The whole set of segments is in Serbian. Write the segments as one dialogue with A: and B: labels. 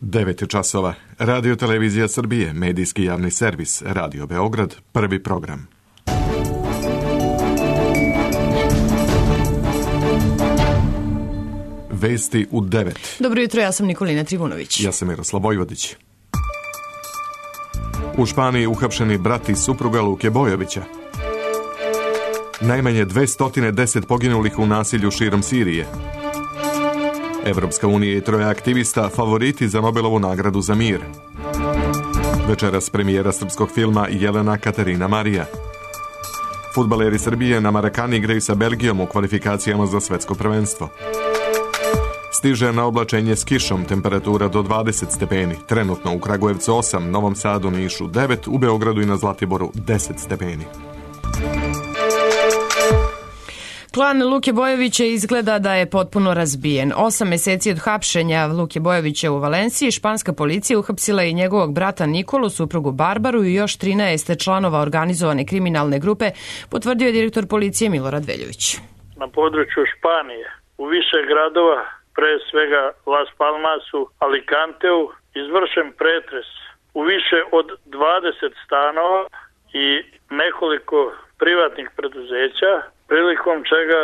A: 9 časova. Radio Televizija Srbije, medijski javni servis, Radio Beograd, prvi program. Vesti u 9.
B: Dobro jutro, ja sam Nikolina Trivunović.
A: Ja sam Miroslav Vojvodić. U Španiji uhapšeni brat i supruga Luke Bojovića. Najmanje 210 poginulih u nasilju širom Sirije. Evropska unija i 3 aktivista favoriti za Nobelovu nagradu za mir. Večeras premijera srpskog filma Jelena Katarina Marija. Fudbaleri Srbije na Marakani igraju sa Belgijom u kvalifikacijama za svetsko prvenstvo. Stiže na oblačenje s kišom, temperatura do 20 stepeni. Trenutno u Kragujevcu 8, Novom Sadu, Nišu 9, u Beogradu i na Zlatiboru 10 stepeni.
B: Klan Luke Bojovića izgleda da je potpuno razbijen. 8 meseci od hapšenja Luke Bojovića u Valenciji, španska policija uhapsila i njegovog brata Nikolu, suprugu Barbaru i još 13 članova organizovane kriminalne grupe, potvrdio je direktor policije Milorad Veljović.
C: Na području Španije, u više gradova, pre svega Las Palmasu, Alicanteu, izvršen pretres u više od 20 stanova i nekoliko privatnih preduzeća, prilikom čega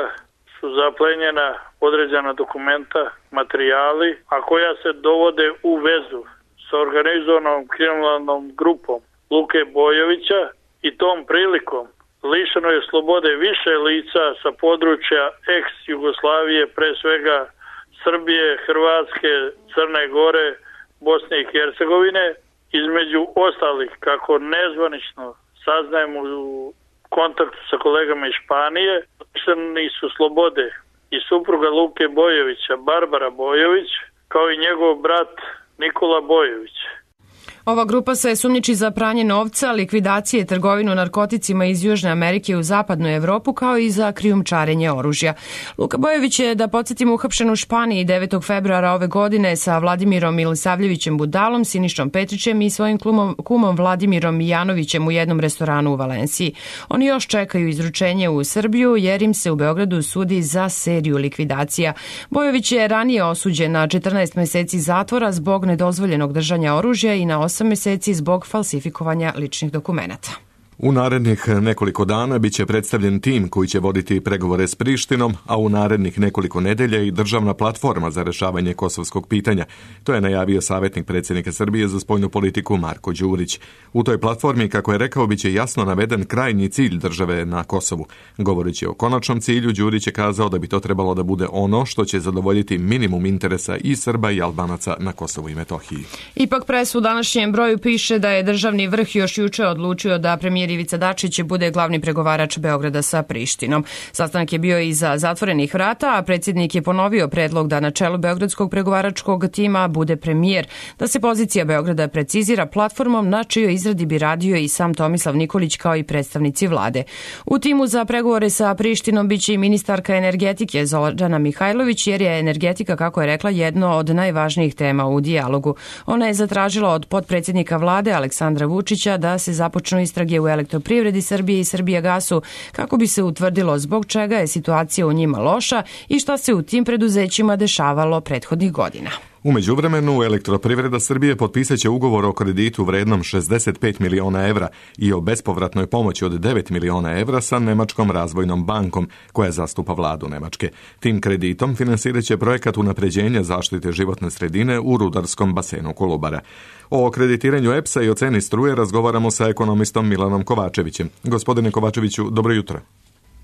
C: su zaplenjena određena dokumenta, materijali, a koja se dovode u vezu sa organizovanom kriminalnom grupom Luke Bojovića i tom prilikom lišeno je slobode više lica sa područja ex-Jugoslavije, pre svega Srbije, Hrvatske, Crne Gore, Bosne i Hercegovine, između ostalih, kako nezvanično saznajemo u kontaktu sa kolegama iz Španije, lišeni su slobode i supruga Luke Bojovića, Barbara Bojović, kao i njegov brat Nikola Bojović.
B: Ova grupa se sumnjiči za pranje novca, likvidacije i trgovinu narkoticima iz Južne Amerike u zapadnu Evropu, kao i za krijumčarenje oružja. Luka Bojović je, da podsjetimo, uhapšen u Španiji 9. februara ove godine sa Vladimirom Milisavljevićem Budalom, Sinišom Petrićem i svojim kumom Vladimirom Mijanovićem u jednom restoranu u Valenciji. Oni još čekaju izručenje u Srbiju jer im se u Beogradu sudi za seriju likvidacija. Bojović je ranije osuđen na 14 meseci zatvora zbog nedozvoljenog držanja oružja i na 8 meseci zbog falsifikovanja ličnih dokumenata.
A: U narednih nekoliko dana biće predstavljen tim koji će voditi pregovore s Prištinom, a u narednih nekoliko nedelja i državna platforma za rešavanje kosovskog pitanja. To je najavio savjetnik predsjednika Srbije za spoljnu politiku Marko Đurić. U toj platformi, kako je rekao, biće jasno naveden krajnji cilj države na Kosovu. Govoreći o konačnom cilju, Đurić je kazao da bi to trebalo da bude ono što će zadovoljiti minimum interesa i Srba i Albanaca na Kosovu i Metohiji.
B: Ipak pres u današnjem broju piše da je državni vrh još juče odlučio da premijer Ivica Dačić bude glavni pregovarač Beograda sa Prištinom. Sastanak je bio iza zatvorenih vrata, a predsjednik je ponovio predlog da na čelu beogradskog pregovaračkog tima bude premijer, da se pozicija Beograda precizira platformom na čijoj izradi bi radio i sam Tomislav Nikolić kao i predstavnici vlade. U timu za pregovore sa Prištinom biće i ministarka energetike Zorana Mihajlović, jer je energetika, kako je rekla, jedno od najvažnijih tema u dijalogu. Ona je zatražila od potpredsjednika vlade Aleksandra Vučića da se započnu istrage u Elektroprivredi Srbije i Srbijagasu kako bi se utvrdilo zbog čega je situacija u njima loša i šta se u tim preduzećima dešavalo prethodnih godina.
A: U međuvremenu, Elektroprivreda Srbije potpisat će ugovor o kreditu vrednom 65 miliona evra i o bespovratnoj pomoći od 9 miliona evra sa Nemačkom razvojnom bankom, koja zastupa vladu Nemačke. Tim kreditom finansirat će projekat unapređenja zaštite životne sredine u rudarskom basenu Kolubara. O kreditiranju EPS-a i o ceni struje razgovaramo sa ekonomistom Milanom Kovačevićem. Gospodine Kovačeviću, dobro jutro.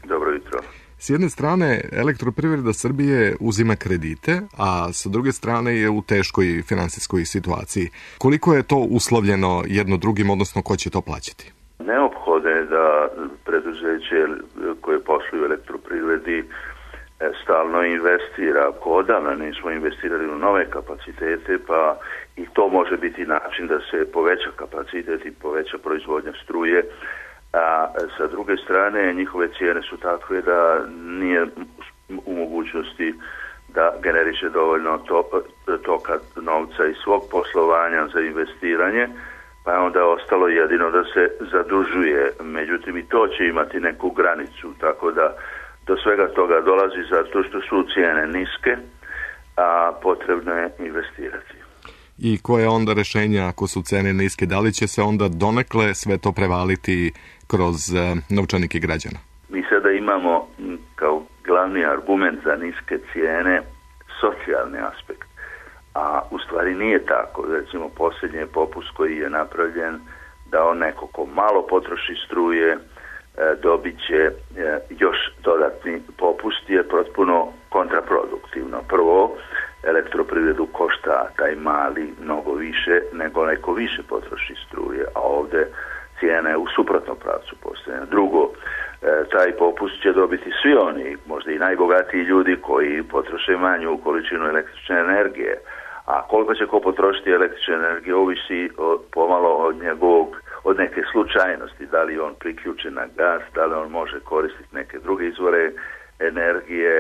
D: Dobro jutro.
A: S jedne strane, Elektroprivreda Srbije uzima kredite, a sa druge strane je u teškoj finansijskoj situaciji. Koliko je to uslovljeno jedno drugim, odnosno ko će to plaćati?
D: Neophodno je da preduzeće koje posluju u Elektroprivredi stalno investira. Odavno nismo investirali u nove kapacitete, pa i to može biti način da se poveća kapacitet i poveća proizvodnja struje. A sa druge strane njihove cijene su takve da nije u mogućnosti da generiše dovoljno toka novca iz svog poslovanja za investiranje, pa je onda ostalo jedino da se zadužuje. Međutim, i to će imati neku granicu, tako da do svega toga dolazi zato što su cijene niske, a potrebno je investirati.
A: i koje onda rešenja ako su cene niske? Da li će se onda donekle sve to prevaliti kroz novčanike građana?
D: Mi sada imamo kao glavni argument za niske cijene socijalni aspekt, a u stvari nije tako. Recimo posljednji popust koji je napravljen da on neko ko malo potroši struje dobit će još dodatni popust je potpuno kontraproduktivno. Prvo, elektroprivredu košta taj mali mnogo više nego neko više potroši struje, a ovdje cijena je u suprotnom pravcu postavljena. Drugo, taj popust će dobiti svi oni, možda i najbogatiji ljudi koji potroše manju količinu električne energije. A koliko će ko potrošiti električne energije ovisi pomalo od neke slučajnosti, da li on priključen na gas, da li on može koristiti neke druge izvore energije,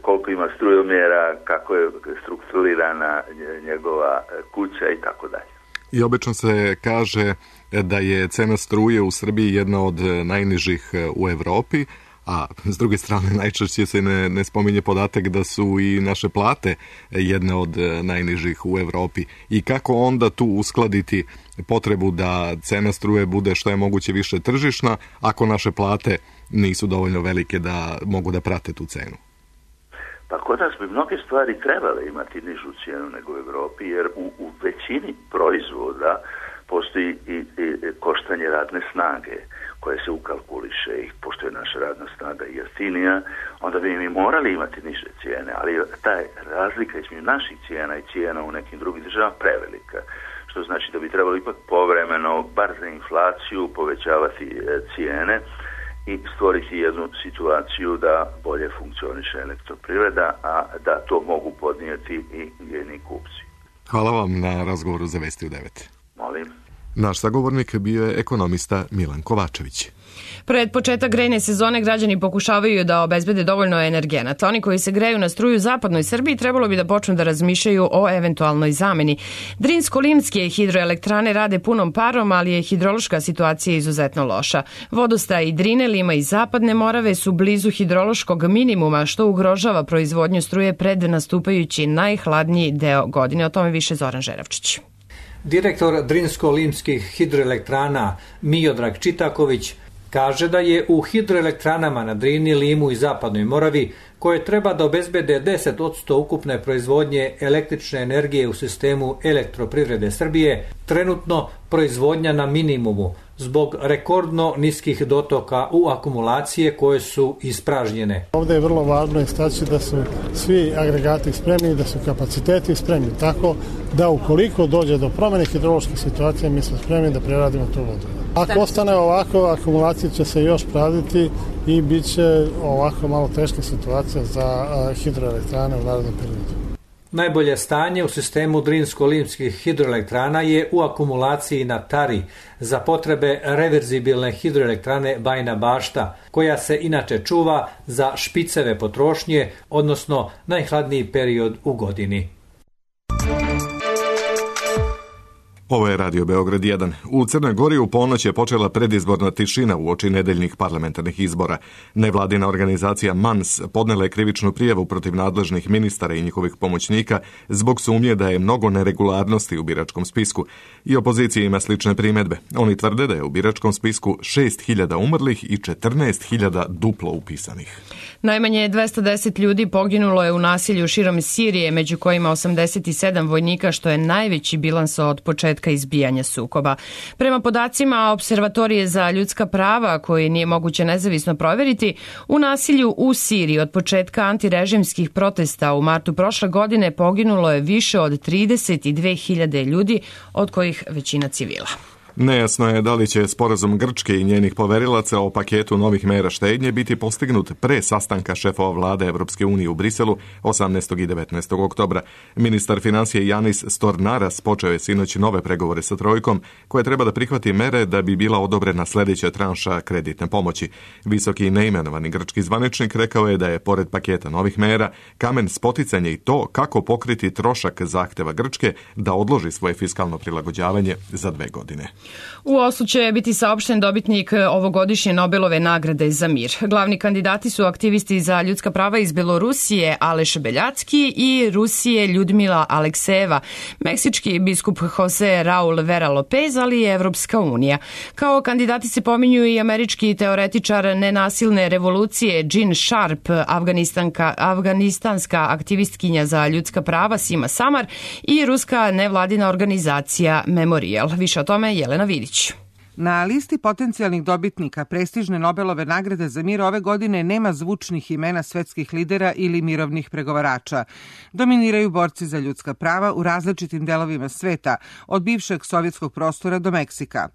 D: koliko ima strujomjera, kako je strukturirana njegova kuća i tako dalje.
A: I obično se kaže da je cena struje u Srbiji jedna od najnižih u Evropi, a s druge strane najčešće se ne spominje podatak da su i naše plate jedne od najnižih u Evropi. I kako onda tu uskladiti potrebu da cena struje bude što je moguće više tržišna, ako naše plate nisu dovoljno velike da mogu da prate tu cenu?
D: Pa kod nas bi mnoge stvari trebale imati nižu cijenu nego u Evropi, jer u većini proizvoda postoji i koštanje radne snage koje se ukalkuliše i pošto je naša radna snaga jeftinija, onda bi mi morali imati niže cijene, ali ta razlika između naših cijena i cijena u nekim drugim državama prevelika, što znači da bi trebalo ipak povremeno, bar za inflaciju, povećavati cijene i stvoriti jednu situaciju da bolje funkcioniše elektroprivreda, a da to mogu podnijeti i njeni kupci.
A: Hvala vam na razgovoru za Vesti u 9.
D: Molim.
A: Naš sagovornik bio je ekonomista Milan Kovačević.
B: Pred početak grejne sezone građani pokušavaju da obezbede dovoljno energenata. Oni koji se greju na struju u zapadnoj Srbiji trebalo bi da počnu da razmišljaju o eventualnoj zameni. Drinsko-Limske hidroelektrane rade punom parom, ali je hidrološka situacija izuzetno loša. Vodostaj Drine, Lima i Zapadne Morave su blizu hidrološkog minimuma, što ugrožava proizvodnju struje pred nastupajući najhladniji deo godine. O tome više Zoran Žeravčić.
E: Direktor Drinsko-Limskih hidroelektrana Miodrag Čitaković kaže da je u hidroelektranama na Drini, Limu i Zapadnoj Moravi, koje treba da obezbede 10% ukupne proizvodnje električne energije u sistemu elektroprivrede Srbije, trenutno proizvodnja na minimumu zbog rekordno niskih dotoka u akumulacije koje su ispražnjene.
F: Ovdje je vrlo važno istaći da su svi agregati spremni, da su kapaciteti spremni, tako da ukoliko dođe do promjene hidrološke situacije, mi smo spremni da preradimo tu vodu. Ako ostane ovako, akumulacija će se još praviti i bit će ovako malo teška situacija za hidroelektrane u narednom periodu.
E: Najbolje stanje u sistemu Drinsko-Limskih hidroelektrana je u akumulaciji na Tari za potrebe reverzibilne hidroelektrane Bajina Bašta, koja se inače čuva za špiceve potrošnje, odnosno najhladniji period u godini.
A: Ovo je Radio Beograd 1. U Crnoj Gori u ponoć je počela predizborna tišina uoči nedeljnih parlamentarnih izbora. Nevladina organizacija MANS podnela je krivičnu prijavu protiv nadležnih ministara i njihovih pomoćnika zbog sumnje da je mnogo neregularnosti u biračkom spisku. I opozicija ima slične primedbe. Oni tvrde da je u biračkom spisku 6.000 umrlih i 14.000 duplo upisanih.
B: Najmanje 210 ljudi poginulo je u nasilju širom Sirije, među kojima 87 vojnika, što je najveći bilans od početka izbijanja sukoba. Prema podacima Observatorije za ljudska prava, koje nije moguće nezavisno provjeriti, u nasilju u Siriji od početka antirežimskih protesta u martu prošle godine poginulo je više od 32.000 ljudi, od kojih većina civila.
A: Nejasno je da li će sporazum Grčke i njenih poverilaca o paketu novih mera štednje biti postignut pre sastanka šefova vlade Evropske unije u Briselu 18. i 19. oktobra. Ministar financije Janis Stornaras počeo je sinoć nove pregovore sa trojkom, koje treba da prihvati mere da bi bila odobrena sljedeća tranša kreditne pomoći. Visoki neimenovani grčki zvaničnik rekao je da je, pored paketa novih mera, kamen spoticanja i to kako pokriti trošak zahteva Grčke da odloži svoje fiskalno prilagođavanje za 2 godine.
B: U Oslu će biti saopšten dobitnik ovogodišnje Nobelove nagrade za mir. Glavni kandidati su aktivisti za ljudska prava iz Belorusije Aleš Beljacki i Rusije Ljudmila Aleksejeva, meksički biskup Jose Raul Vera Lopez, ali i Evropska unija. Kao kandidati se pominju i američki teoretičar nenasilne revolucije Jean Sharp, afganistanska aktivistkinja za ljudska prava Sima Samar i ruska nevladina organizacija Memorial. Više o tome Jelena Vidić.
G: Na listi potencijalnih dobitnika prestižne Nobelove nagrade za mir ove godine nema zvučnih imena svetskih lidera ili mirovnih pregovarača. Dominiraju borci za ljudska prava u različitim delovima sveta, od bivšeg sovjetskog prostora do Meksika.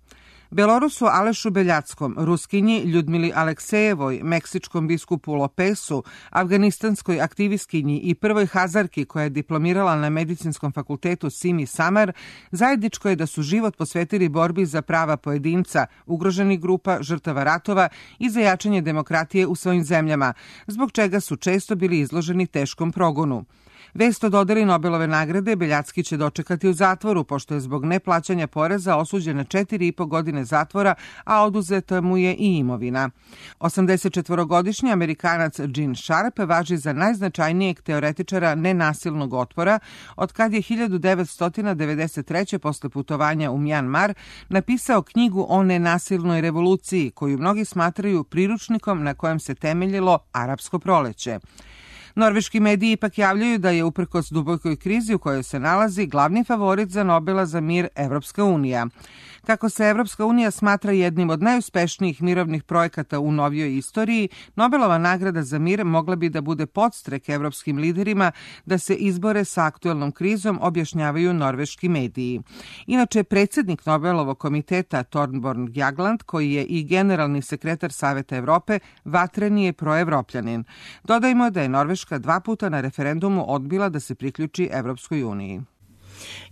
G: Belorusu Alešu Beljackom, Ruskinji Ljudmili Aleksejevoj, meksičkom biskupu Lopesu, afganistanskoj aktivistkinji i prvoj Hazarki koja je diplomirala na medicinskom fakultetu Simi Samar, zajedničko je da su život posvetili borbi za prava pojedinca, ugroženih grupa, žrtava ratova i za jačanje demokratije u svojim zemljama, zbog čega su često bili izloženi teškom progonu. Vest o dodeli Nobelove nagrade Beljacki će dočekati u zatvoru, pošto je zbog neplaćanja poreza osuđen na 4,5 godine zatvora, a oduzeta mu je i imovina. 84-godišnji Amerikanac Jean Sharp važi za najznačajnijeg teoretičara nenasilnog otpora, od kad je 1993. posle putovanja u Mjanmar napisao knjigu o nenasilnoj revoluciji, koju mnogi smatraju priručnikom na kojem se temeljilo arapsko proleće. Norveški mediji ipak javljaju da je uprkos dubokoj krizi u kojoj se nalazi glavni favorit za Nobela za mir Evropska unija. Kako se Evropska unija smatra jednim od najuspešnijih mirovnih projekata u novijoj istoriji, Nobelova nagrada za mir mogla bi da bude podstrek evropskim liderima da se izbore sa aktuelnom krizom, objašnjavaju norveški mediji. Inače, predsjednik Nobelovog komiteta Thorbjørn Jagland, koji je i generalni sekretar Saveta Evrope, vatreni je proevropljanin. Dodajmo da je Norveška 2 puta na referendumu odbila da se priključi Evropskoj uniji.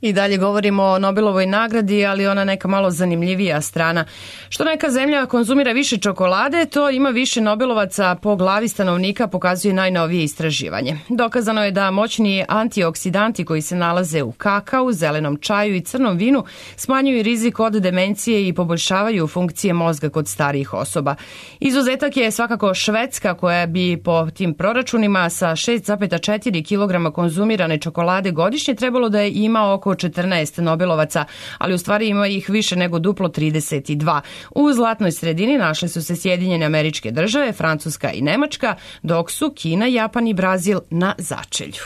B: I dalje govorimo o Nobelovoj nagradi, ali ona neka malo zanimljivija strana. Što neka zemlja konzumira više čokolade, to ima više Nobelovaca po glavi stanovnika, pokazuje najnovije istraživanje. Dokazano je da moćni antioksidanti koji se nalaze u kakao, zelenom čaju i crnom vinu smanjuju rizik od demencije i poboljšavaju funkcije mozga kod starijih osoba. Izuzetak je svakako Švedska, koja bi po tim proračunima sa 6,4 kg konzumirane čokolade godišnje trebalo da ima oko 14 Nobelovaca, ali u stvari ima ih više nego duplo 32. U zlatnoj sredini našle su se Sjedinjene Američke Države, Francuska i Nemačka, dok su Kina, Japan i Brazil na začelju.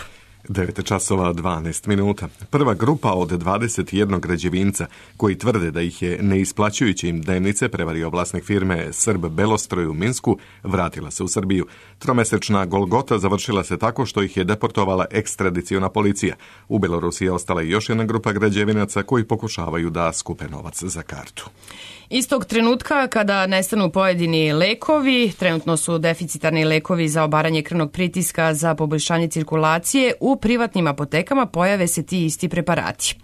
A: 9:12. Prva grupa od 21 građevinca koji tvrde da ih je neisplaćujući im dnevnice prevario vlasnik firme Srb Belostroj u Minsku, vratila se u Srbiju. Tromesečna golgota završila se tako što ih je deportovala ekstradiciona policija. U Belorusiji je ostala još jedna grupa građevinaca koji pokušavaju da skupe novac za kartu.
B: Istog trenutka kada nestanu pojedini lekovi, trenutno su deficitarni lekovi za obaranje krvnog pritiska za poboljšanje cirkulacije, u privatnim apotekama pojave se ti isti preparati.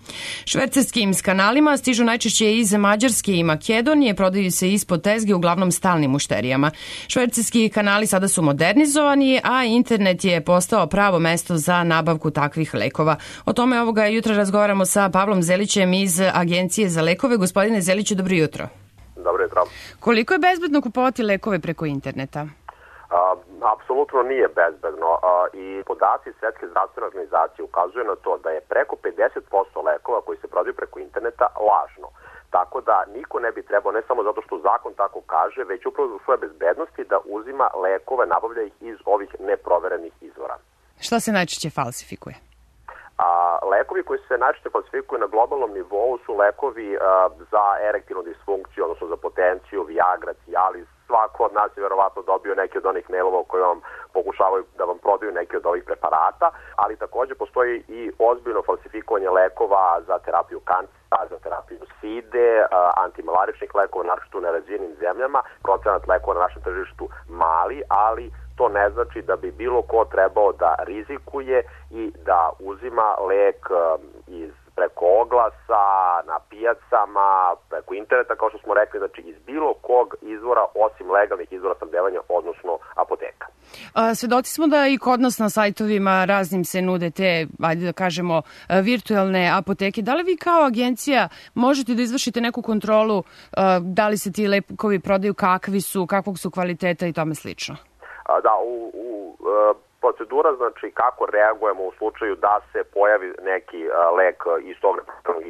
B: Švercerskim kanalima stižu najčešće iz Mađarske i Makedonije, prodaju se ispod tezge uglavnom stalnim mušterijama. Švercerski kanali sada su modernizovani, a internet je postao pravo mesto za nabavku takvih lekova. O tome ovoga jutra razgovaramo sa Pavlom Zelićem iz Agencije za lekove. Gospodine Zeliću, dobro jutro.
H: Dobro jutro.
B: Koliko je bezbedno kupovati lekove preko interneta?
H: Apsolutno nije bezbedno i podaci Svetske zdravstvene organizacije ukazuju na to da je preko 50% lekova koji se prodaju preko interneta lažno. Tako da niko ne bi trebao, ne samo zato što zakon tako kaže, već upravo zbog svoje bezbednosti da uzima lekove, nabavlja ih iz ovih neproverenih izvora.
B: Šta se najčešće falsifikuje?
H: Lekovi koji se najčešće falsifikuju na globalnom nivou su lekovi za erektilnu disfunkciju, odnosno za potenciju, Viagra, Cialis. Svako od nas je verovatno dobio neki od onih mailova koji vam pokušavaju da vam prodaju neki od ovih preparata, ali takođe postoji i ozbiljno falsifikovanje lekova za terapiju kancera, za terapiju side, antimalaričnih lekova, naročito u nerazvijenim zemljama. Procenat lekova na našem tržištu mali, ali to ne znači da bi bilo ko trebao da rizikuje i da uzima lek iz preko oglasa, na pijacama, preko interneta, kao što smo rekli, znači iz bilo kog izvora osim legalnih izvora snabdevanja, odnosno apoteka.
B: Svedoci smo da i kod nas na sajtovima raznim se nude te, ajde da kažemo, virtualne apoteke. Da li vi kao agencija možete da izvršite neku kontrolu da li se ti lekovi prodaju, kakvog su kvaliteta i tome slično?
H: Da, procedura, znači kako reagujemo u slučaju da se pojavi neki lek iz tog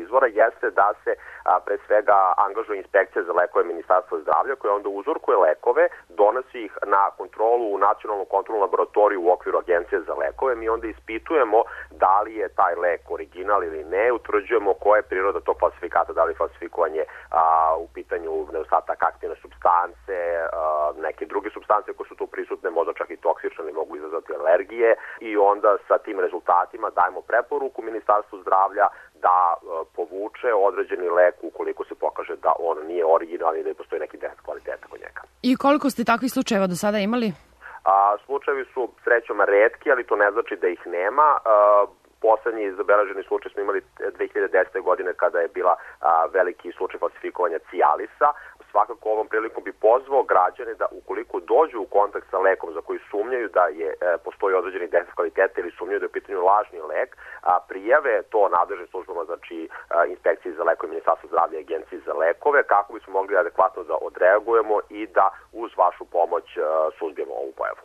H: izvora, jeste da se pre svega angažuje inspekcija za lekove Ministarstva zdravlja koja onda uzorkuje lekove, donosi ih na kontrolu u nacionalnu kontrolnu laboratoriju u okviru Agencije za lekove. Mi onda ispitujemo da li je taj lek original ili ne, utvrđujemo koja je priroda tog falsifikata, da li je falsifikovanje u pitanju nedostatak aktivne supstance, neke druge supstance koje su tu prisutne, možda čak i toksične ili mogu izazvati alergije, i onda sa tim rezultatima dajemo preporuku Ministarstvu zdravlja da povuče određeni lek ukoliko se pokaže da on nije originalni i da postoji neki defekt kvaliteta kod njega.
B: I koliko ste takvih slučajeva do sada imali?
H: Slučajevi su srećom retki, ali to ne znači da ih nema. Poslednji zabeleženi slučaj smo imali 2010. godine kada je bila veliki slučaj falsifikovanja Cialisa. Svakako ovom prilikom bi pozvao građane da ukoliko dođu u kontakt sa lekom za koji sumnjaju da postoji određeni defekt kvaliteta ili sumnjaju da je u pitanju lažni lek, prijave to nadležnim službama, znači inspekciji za lekove, Ministarstva zdravlja i Agenciji za lekove, kako bismo mogli adekvatno da odreagujemo i da uz vašu pomoć suzbijemo ovu pojavu.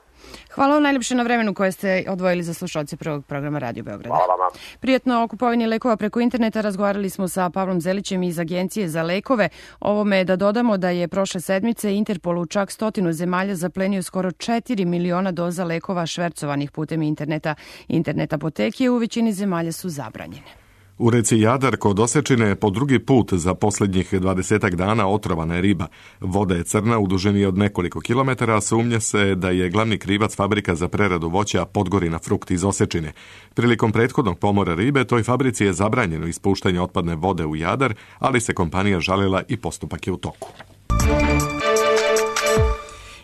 B: Hvala vam najljepše na vremenu koje ste odvojili za slušalce prvog programa Radio Beograda.
H: Hvala vam.
B: Prijatno o kupovini lekova preko interneta razgovarali smo sa Pavlom Zelićem iz Agencije za lekove. Ovome da dodamo da je prošle sedmice Interpol u čak 100 zemalja zaplenio skoro 4 miliona doza lekova švercovanih putem interneta. Internet apoteke u većini zemalja su zabranjene.
A: U reci Jadar kod Osečine po drugi put za posljednjih 20 dana otrovana je riba. Voda je crna u dužini od nekoliko kilometara, a sumnja se da je glavni krivac fabrika za preradu voća Podgorina frukt iz Osečine. Prilikom prethodnog pomora ribe toj fabrici je zabranjeno ispuštanje otpadne vode u Jadar, ali se kompanija žalila i postupak je u toku.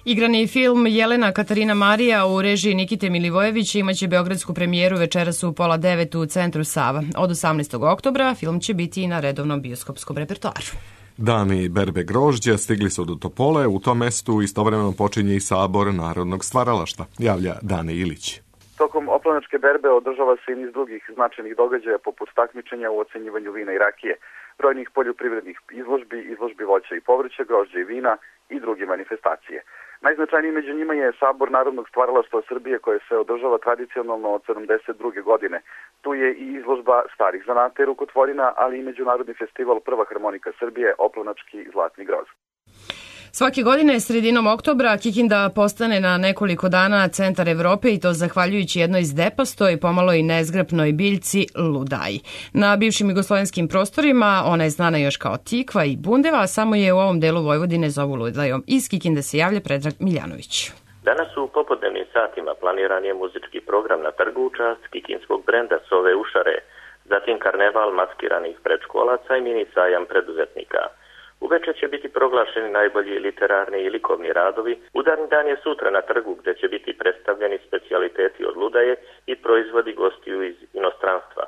B: Igrani film Jelena Katarina Marija u režiji Nikite Milivojevića imaće beogradsku premijeru večeras u 8:30 u Centru Sava. Od 18. oktobra film će biti i na redovnom bioskopskom repertoaru.
A: Dani berbe grožđa stigli su do Topole, u tom mestu istovremeno počinje i sabor narodnog stvaralaštva, javlja Dane Ilić.
I: Tokom oplanačke berbe održava se i niz drugih značajnih događaja poput takmičenja u ocenjivanju vina i rakije, brojnih poljoprivrednih izložbi voća i povrća, grožđa i vina i druge manifestacije. Najznačajniji među njima je Sabor narodnog stvaralaštva Srbije koje se održava tradicionalno od 72. godine. Tu je i izložba starih zanata i rukotvorina, ali i međunarodni festival Prva harmonika Srbije, Oplanački zlatni groz.
B: Svake godine sredinom oktobra Kikinda postane na nekoliko dana centar Evrope i to zahvaljujući jednoj zdepastoj, pomalo i nezgrapnoj biljci ludaji. Na bivšim jugoslovenskim prostorima ona je znana još kao tikva i bundeva, a samo je u ovom delu Vojvodine zovu ludajom. Iz Kikinde se javlja Predrag Miljanović.
J: Danas u popodnevnim satima planiran je muzički program na trgu u čast kikinskog brenda Sove Ušare, zatim karneval maskiranih predškolaca i mini sajam preduzetnika. Uveče će biti proglašeni najbolji literarni i likovni radovi. Udarni dan je sutra na trgu gdje će biti predstavljeni specijaliteti od ludaje i proizvodi gostiju iz inostranstva.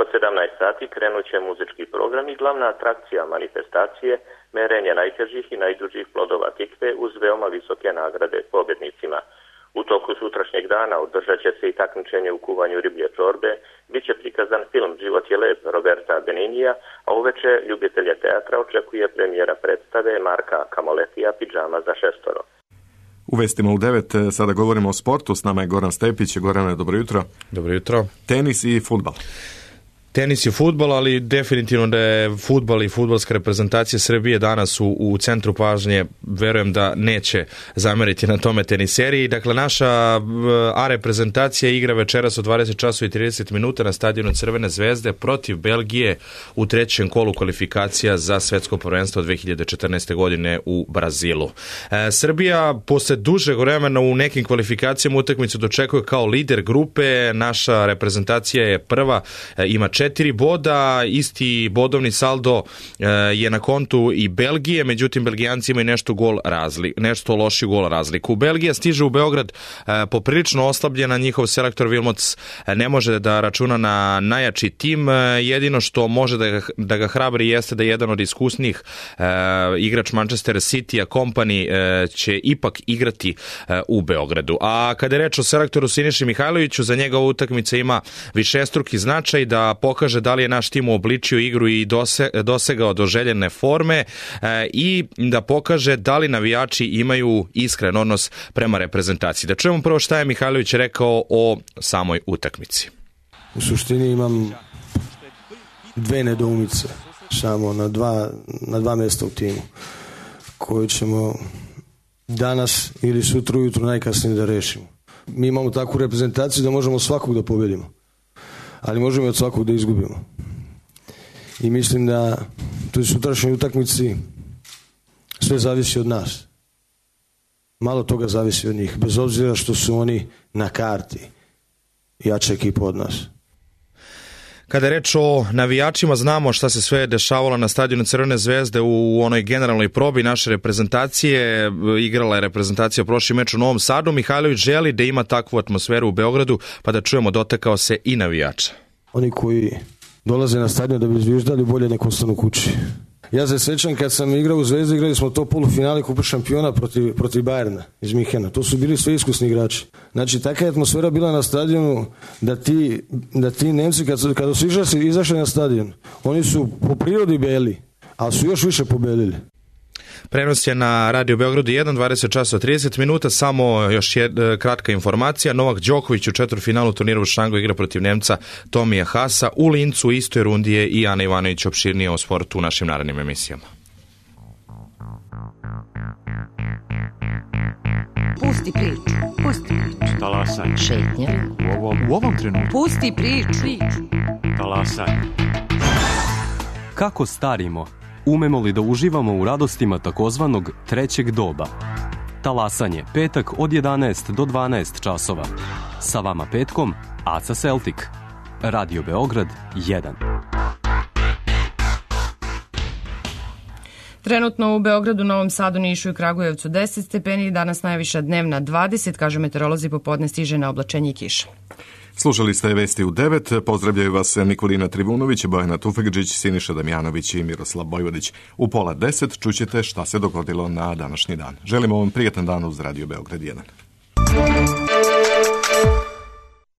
J: Od 17 sati krenut će muzički program i glavna atrakcija manifestacije merenje najtežih i najdužih plodova tikve uz veoma visoke nagrade pobjednicima. U toku sutrašnjeg dana održat će se i takmičenje u kuvanju riblje čorbe, bit će prikazan film Život je lep Roberta Beninija, a uveče ljubitelje teatra očekuje premijera predstave Marka Kamoletija Pidžama za šestoro.
A: U vestima u 9 sada govorimo o sportu, s nama je Goran Stepić. Gorane, dobro jutro.
K: Dobro jutro.
A: Tenis i fudbal.
K: Tenis je fudbal, ali definitivno da je fudbal i fudbalska reprezentacija Srbije danas u centru pažnje. Verujem da neće zameriti na tome teniseri. Dakle, naša A reprezentacija igra večeras od 20 časova i 30 minuta na stadionu Crvene zvezde protiv Belgije u trećem kolu kvalifikacija za svetsko prvenstvo 2014. godine u Brazilu. Srbija posle dužeg vremena u nekim kvalifikacijama utakmicu dočekuje kao lider grupe. Naša reprezentacija je prva, ima 4 4 boda, isti bodovni saldo je na kontu i Belgije, međutim Belgijanci imaju nešto lošiju gol razliku. Belgija stiže u Beograd poprilično oslabljena, njihov selektor Wilmots ne može da računa na najjači tim, jedino što može da ga hrabri jeste da jedan od iskusnijih igrač Manchester City-a Kompany će ipak igrati u Beogradu. A kada je reč o selektoru Siniši Mihajloviću, za njega ova utakmica ima višestruki značaj da pokaže da li je naš tim uobličio igru i dosegao do željene forme i da pokaže da li navijači imaju iskren odnos prema reprezentaciji. Da čujemo prvo šta je Mihajlović rekao o samoj utakmici.
L: U suštini imam 2 nedoumice samo na dva mjesta u timu koju ćemo danas ili sutra ujutro najkasnije da rešimo. Mi imamo takvu reprezentaciju da možemo svakog da pobedimo, ali možemo i od svakog da izgubimo. I mislim da u sutrašnjoj utakmici sve zavisi od nas. Malo toga zavisi od njih, bez obzira što su oni na karti jača ekipa od nas.
K: Kada je reč o navijačima, znamo šta se sve dešavalo na stadionu Crvene zvezde u onoj generalnoj probi naše reprezentacije. Igrala je reprezentacija prošli meč u Novom Sadu. Mihajlović želi da ima takvu atmosferu u Beogradu, pa da čujemo, dotakao se i navijača.
L: Oni koji dolaze na stadion da bi zviždali, bolje nek ostanu kući. Ja se sećam kad sam igrao u Zvezdi, igrali smo to polufinale Kupa šampiona protiv Bayerna iz Minhena. To su bili sve iskusni igrači. Znači, takva je atmosfera bila na stadionu da ti Nemci kada su izašli na stadion, oni su po prirodi beli, ali su još više pobelili.
K: Prenos je na Radio Beogradu 1, 20 časova 30 minuta, samo još kratka informacija. Novak Đoković u četvrtfinalu turnira u Šangu igra protiv Nemca Tomija Hasa. U Lincu u istoj rundi je i Ana Ivanović opširnije o sportu u našim narednim emisijama.
M: Pusti priču. Talasaj. Šetnja.
N: U ovom trenutku.
M: Pusti priču.
N: Talasaj. Kako starimo? Umemo li da uživamo u radostima takozvanog trećeg doba? Talasanje, petak od 11 do 12 časova. Sa vama petkom, Aca Celtic. Radio Beograd 1.
B: Trenutno u Beogradu, Novom Sadu, Nišu i Kragujevcu 10 stepeni, danas najviša dnevna 20, kažu meteorolozi, popodne stiže na oblačenje i kiša.
A: Slušali ste Vesti u 9, pozdravljaju vas Nikolina Trivunović, Bojana Tufekđić, Siniša Damjanović i Miroslav Bojvodić. U 9:30 čućete šta se dogodilo na današnji dan. Želimo vam prijatan dan uz Radio Beograd 1.